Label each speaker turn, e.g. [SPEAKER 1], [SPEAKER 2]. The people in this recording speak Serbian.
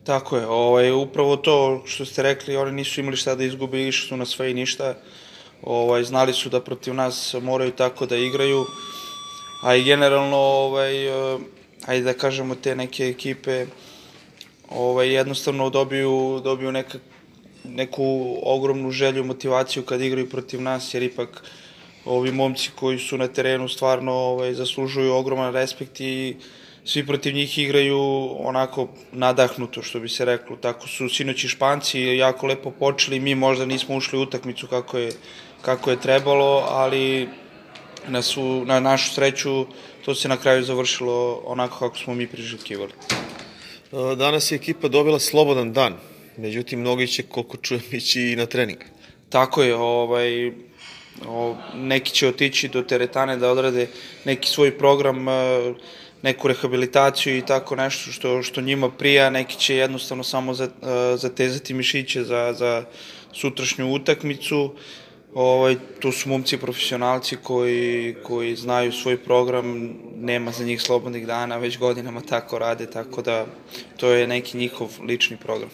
[SPEAKER 1] Tako je, upravo to što ste rekli, oni nisu imali šta da izgube, išli su na sve i ništa. Znali su da protiv nas moraju tako da igraju, a i generalno, ajde da kažemo, te neke ekipe jednostavno dobiju neku ogromnu želju, motivaciju kad igraju protiv nas, jer ipak ovi momci koji su na terenu stvarno zaslužuju ogroman respekt i svi protiv njih igraju onako nadahnuto, što bi se reklo. Tako su sinoć i Španci jako lepo počeli, mi možda nismo ušli u utakmicu kako je trebalo, ali na našu sreću to se na kraju završilo onako kako smo mi priželjkivali.
[SPEAKER 2] Danas je ekipa dobila slobodan dan, međutim, mnogi će, koliko čujem, ići i na trening.
[SPEAKER 1] Tako je, neki će otići do teretane da odrade neki svoj program, neku rehabilitaciju i tako nešto što njima prija, neki će jednostavno samo zatezati mišiće za sutrašnju utakmicu. To su momci profesionalci koji znaju svoj program, nema za njih slobodnih dana, već godinama tako rade, tako da to je neki njihov lični program.